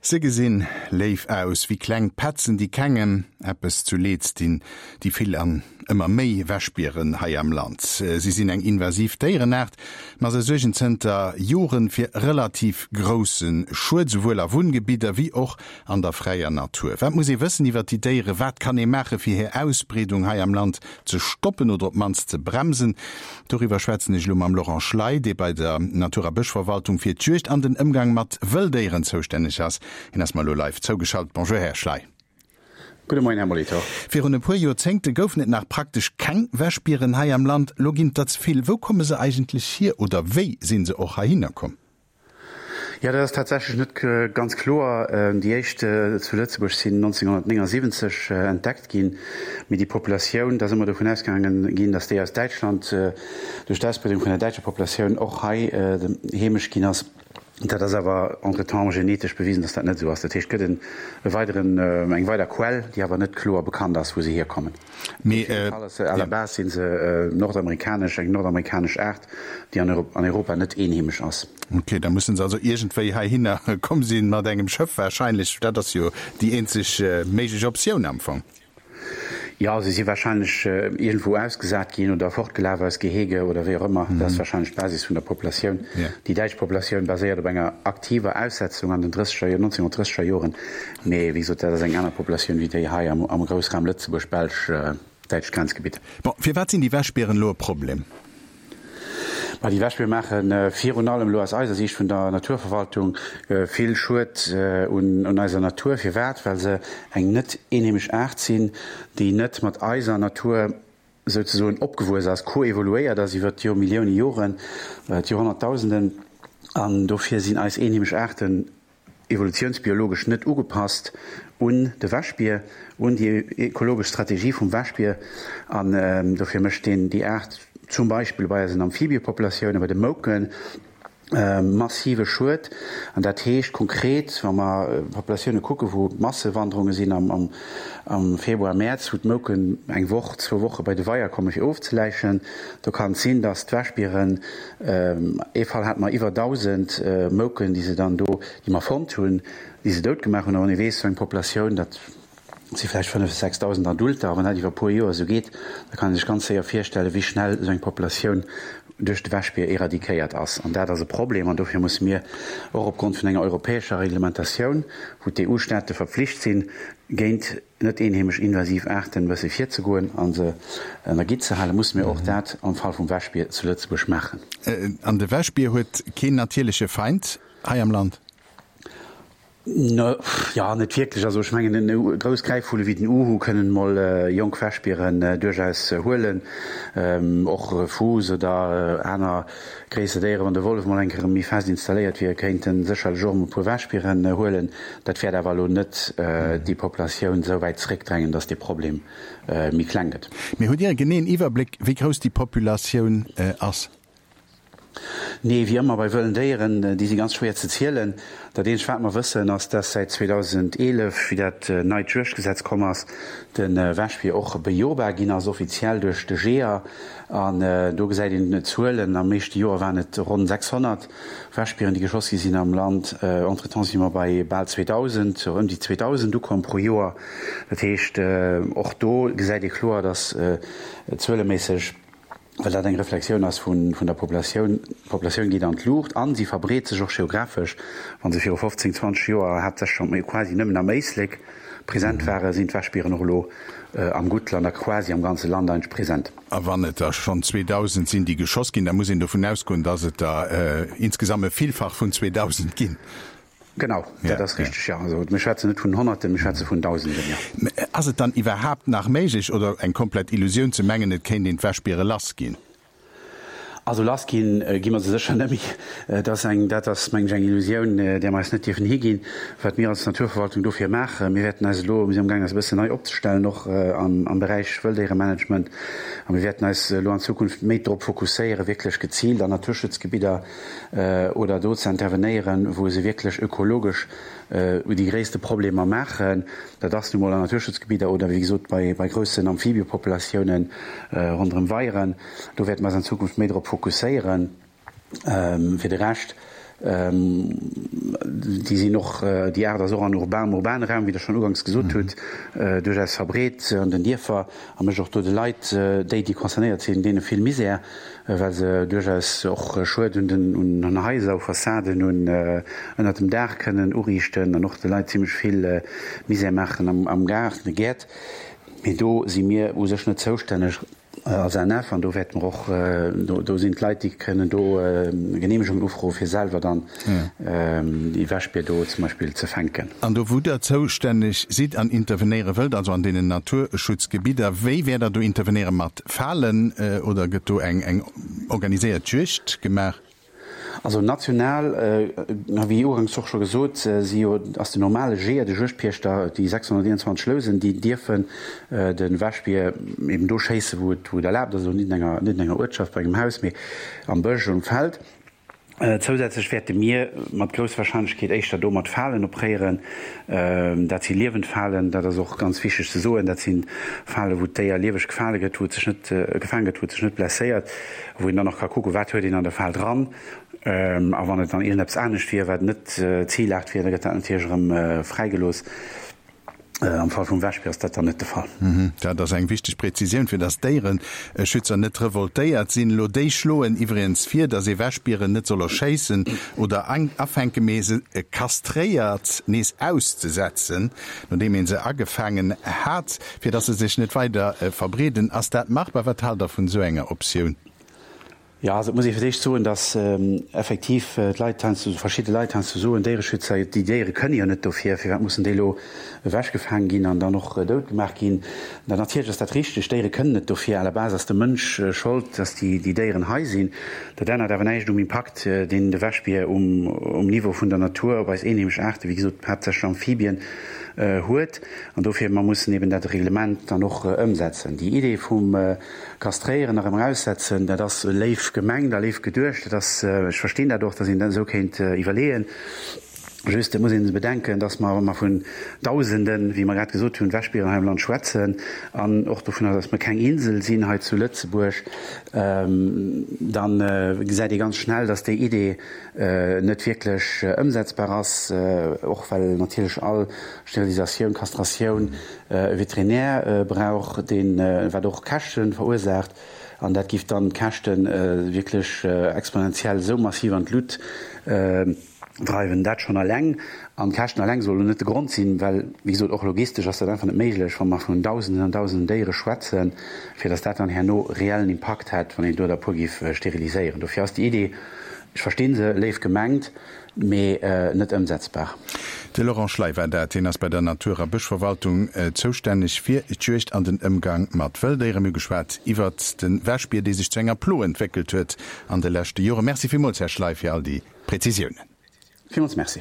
Se gesinn léif aus, wéi kleng Petzen, déi kengem eppes zu Leeds dinn, déi vill an ëmmer méi Wäschbieren hei am Land. Si sinn eng invasiv Déierenaart, ma se suergen zënter Joren fir relativ grousse Schued, souwuel a Wunngebidder wéi och an der fräier Natur. Wat muss ee wëssen iwwer déi Déieren? Wat kann ee maache fir hir Ausbreedung hei am Land ze stoppen oder op d'mannst ze bremsen? Doriwwer schwätzen ech elo mam Laurent Schley, dee bei der Natur a Bëschverwaltung fir d'Juegd an den Ëmgang mat Wëlldéieren zoustänneg ass. Hien ass mer elo live zougeschalt. Bonjour, Här Schley. Gudde Moien, Här Molitor. Virun e puer Joerzéngte goufen et nach praktesch keng Wäschbieren hei am Land. Elo ginn et der ze vill. Wou komme se eigentlech hier oder wéi si se och heihinner komm? Jo, dat ass tatsächlech net ganz kloer. Déi éischt zu Lëtzebuerg sinn 1979 entdeckt ginn, mee déi Populatioun, et ass ëmmer dovun ausgaange ginn, datt déi aus Däitschland duerch d'Ausbreedung vun der däitscher Populatioun och hei heemesch ginn ass. Dat ass awer entretemps genetesch bewisen, datt dat net esou ass. Dat heescht, et gëtt e weideren, eng weider Quell, déi awer net kloer bekannt ass, wou se hierkommen. Mee, Op jidde Fall ass se à la base si se nordamerikanesch, eng nordamerikanesch Aart, déi an an Europa net eenheemesch ass. Ok, da mussen se also iergendwéi heihinner komm sinn, mat engem Schëff wahrscheinlech. Dat ass jo déi eenzeg méiglech Optioun am Fong. Jo, se si wahrscheinlech iergendwou ausgesat ginn oder fortgelaf aus Gehege oder wéi och ëmmer. Dat ass wahrscheinlech d'Basis vun der Populatioun. Déi däitsch Populatioun baséiert op enger aktiver Aussetzung an den drësseger, 1930er Joren. Mee wéi gesot, dat ass eng aner Populatioun wéi déi hei am Groussraum Lëtzebuerg, Belsch, däitscht Grenzgebitt. Bon, firwat sinn déi Wäschbieren elo e Problem? Ma déi Wäschbiere maache virun allem elo aus eiser Siicht vun der Naturverwaltung vill Schued un eiser Natur. Firwat? Well se eng net eenheemesch Aart sinn, déi net mat eiser Natur souzesoen opgewuess ass, koevoluéiert ass iwwer d'Jo Millioune Joren, d'Joerhonnertdausenden. An dofir sinn eis eenheemesch Aarten evolutiounsbiologesch net ugepasst un de Wäschbier, un déi ekologesch Strategie vum Wäschbier an dofir mécht deen déi Aart zum Beispill bei eisen Amphibiepopulatioune, bei de Mouken, massive Schued. An dat heescht konkret, wa mer Populatioune kucken, wou Massewanderunge sinn am Februar, Mäerz, wou d'Mouken eng Woch, zwou Woche bei de Weier komme fir ofzeläichen, do kann et sinn, datt d'Wäschbieren Ee Fall hate mer iwwer 1.000 Mouken, déi se dann do, déi mer fonnt hunn, déi se dout gemaach hunn. A wann ee weess, esou eng Populatioun, dat si vläicht 5, 6.000 Adulter, a wann dat iwwer e puer Joer esou geet, da kann ee sech ganz séier virstellen, wéi schnell esou eng Populatioun duerch de Wäschbier éradiquéiert ass. An dat ass e Problem. An dofir musse mir och opgrond vun enger europäescher Reglementatioun, wou d'EU-Staate verpflicht sinn, géint net eenheemesch invasiv Aarten e bësse virzegoen a se ënner Gitt ze halen, musse mir och dat am Fall vum Wäschbier zu Lëtzebuerg maachen. An de Wäschbier huet keen natierleche Feind hei am Land? Jo, net wierklech. Also ech mengen, grouss Gräifvulle wéi den Uhu kënnen emol jonk Wäschbieren duerchaus huelen. Och Fuuss oder aner gréisser Déieren, wann de Wollef mol eng Kéier méi fest installéiert wier, kéint en sécherlech och emol e puer Wäschbieren huelen. Dat wäert awer elo net déi Populatioun esou wäit zeréckdrängen, datt dee Problem méi kleng gëtt. Mee hutt Dir e geneeën Iwwerbléck, wéi grouss déi Populatioun ass? Nee, wéi ëmmer bei wëllen Déieren, déi si ganz schwéier ze zielen. Dat eenzegt wat mer wëssen ass, dass säit 2011, wéi dat neit Juegdgesetz komm ass, de Wäschbier och bejobar ginn ass, offiziell duerch de Jeeër. An do gesäit een d'Zuelen, am éischte Joer waren et ronn 600 Wäschbieren, déi geschoss gi sinn am Land. Entretemps si mer bei bal 2.000, sou ëm déi 2.000 ukomm pro Joer. Dat heescht, och do gesäit ee kloer, dass zueleméisseg, well dat eng Reflexioun ass vun der Populatioun, d'Populatioun geet an d'Luucht a si verbreet sech och geographesch. Wa se viru 15, 20 Joer haaptsächlech quasi nëmmen am Éislek present waren, sinn d'Wäschbieren och elo am Guttland a quasi am ganze Land eigentlech present. A wann et der schonn 2.000 sinn, déi geschoss ginn, da muss een dovun ausgoen, datt et der insgesamt e Villfach vun 2.000 ginn. Genau, dat ass richteg, jo. Also mir schwätzen net vun Honnerten, mir schwätze vun Dausenden, jo. Ass et dann iwwerhaapt nach méiglech oder eng komplett Illusioun ze mengen, et kéint een d'Wäschbiere lassginn? Also lass ginn, gi mer se sécher net méi. Dat ass eng, dat ass mengen ech eng Illusioun, där mer eis net dierfen higinn. Wat mir als Naturverwaltung dofir maachen, mir wäerten eis elo, mir sinn amgaangen eis e bëssen nei opzestellen, och am Beräich Wëlldéieremanagement, a mir wäerten eis elo an Zukunft méi drop fokusséieren, wierklech geziilt an Naturschutzgebidder oder do ze intervenéieren, wou se wierklech ökologesch déi gréisste Problemer maachen. Dat ass nu mol an Naturschutzgebidder oder wéi gesot bei groussen Amphibiepopulatiounen ronderëm Weieren. Do wäerte mer eis an Zukunft méi drop fokusséieren. Fir de Rescht. Déi sinn och, déi Aart ass och an urban, am urbane Raum, wéi Der schonn uganks gesot hutt, duerchaus verbreet an den Dierfer a mécht och do de Leit, déi, déi concernéiert sinn, deene vill Misär, well se duerchaus och Schued un den, un Haiser, u Fassaden, un ënnert dem Daach kënnen uriichten an och de Leit zimlech vill Misär maachen am, am Gaart, an de Gäert. Mee do si mir u sech net zoustänneg. Als ANF, an do wäerte mer och, do sinn d'Leit, déi kënnen do Geneemegungen ufroen, fir selwer dann déi Wäschbier do zum Beispill ze fänken. An do wou Der zoustänneg sidd an intervenéiere wëllt, also an deenen Naturschutzgebidder, wéi wäert Der do intervenéieren? Mat Falen oder gëtt do eng organiséiert Juegd gemaach? Also national, wéi uganks och scho gesot, si jo, ass den normale Jeeër, de Juegdpiechter, déi 621 Lousen, déi dierfen de Wäschbier eben do schéissen, wou et, wou et erlaabt ass, also net an enger, net an enger Uertschaft, bei engem Haus, mee am Bësch, um Feld. Zousätzlech wäerte mir mat grousser Warscheinlechkeet éischter do mat Falen opréieren. Dat si liewend Falen, dat ass och ganz wichteg ze soen. Dat si Falen, wou d'Déier lieweg gefale gëtt, wou et sech net, gefaange gëtt, wou et sech net blesséiert. Wou een dann och ka kucken, wat huet een an der Fal dran. A wann et dann iergendeppes anescht wier, wat net Ziilaart wier, da gëtt dat natierlech erëm fräigelooss. Am Fall vum Wäschbier ass dat dann net de Fall. Dat ass eng wichteg Präzisioun, fir datt d'Déiereschützer net revoltéiert sinn. Elo, déi schloen iwwregens vir, datt ee Wäschbieren net soll erschéissen oder afänken, mee se kastréiert nees auszesetzen, nodeem ee se agefaangen hat. Fir dass se sech net weider verbreeden. Ass dat machbar? Wat haalt Der vun esou enger Optioun? Jo, also et muss ee fir d'éischt soen, dass effektiv d'Leit heiansdo, verschidde Leit heiansdo soen, Déiereschützer, déi Déiere kënne jo net dofir, firwat mussen déi elo ewechgefaang ginn an dann och dout gemaach ginn? Da natierlech ass dat richteg, d'Déiere kënnen net dofir, à la base ass de Mënsch schold, dass déi Déieren hei sinn. Dat ännert awer näischt um Impakt, deen de Wäschbier um Niveau vun der Natur op eis eenheemesch Aarte, wéi gesot haaptsächlech Amphibien, huet. An dofir, mer mussen eben dat Reglement dann och ëmsetzen. Déi Idee vum Kastréieren a rëm eraussetzen, dat ass léif gemengt a léif geduecht. Dat ass, ech verstinn dat och, datt een dat esou kéint iwwerleeën. Just, et muss ee bedenken, datt mer, wa mer vun Dausenden, wéi mer grad gesot hunn, Wäschbieren hei am Land schwätzen an och dovunner, datt mer keng Insel sinn hei zu Lëtzebuerg, da gesäit ee ganz schnell, datt déi Idee net wierklech ëmsetzbar ass, och well natierlech all Sterilisatioun, Kastratioun e Veterinär brauch, deen, wat och Käschte verursaacht, an dat giff dann d'Käschte wierklech exponentiell esou massiv an d'Lut dreiwen. Dat schonn eleng, an d'Käschten eleng soll elo net de Grond sinn, well, wéi gesot, och logistesch ass dat einfach net méiglech, wa mer vun Dausenden an Dausenden Déiere schwätzen, fir datt dat dann herno reellen Impakt hätt, wann een do der e puer giff steriliséieren. Dofir ass déi Idee, ech verstinn se, léif gemengt, mee net ëmsetzbar. De Laurent Schley war dat. Hien ass bei der Natur a Bëschverwaltung zoustänneg fir d'Juegd an den Ëmgang mat Wëlldéieren. Mir hu geschwat iwwert de Wäschbier, dee sech zu enger Plo entwéckelt huet an de leschte Joren. Merci villmools, Här Schley, fir all déi Präzisiounen. Villmools Merci.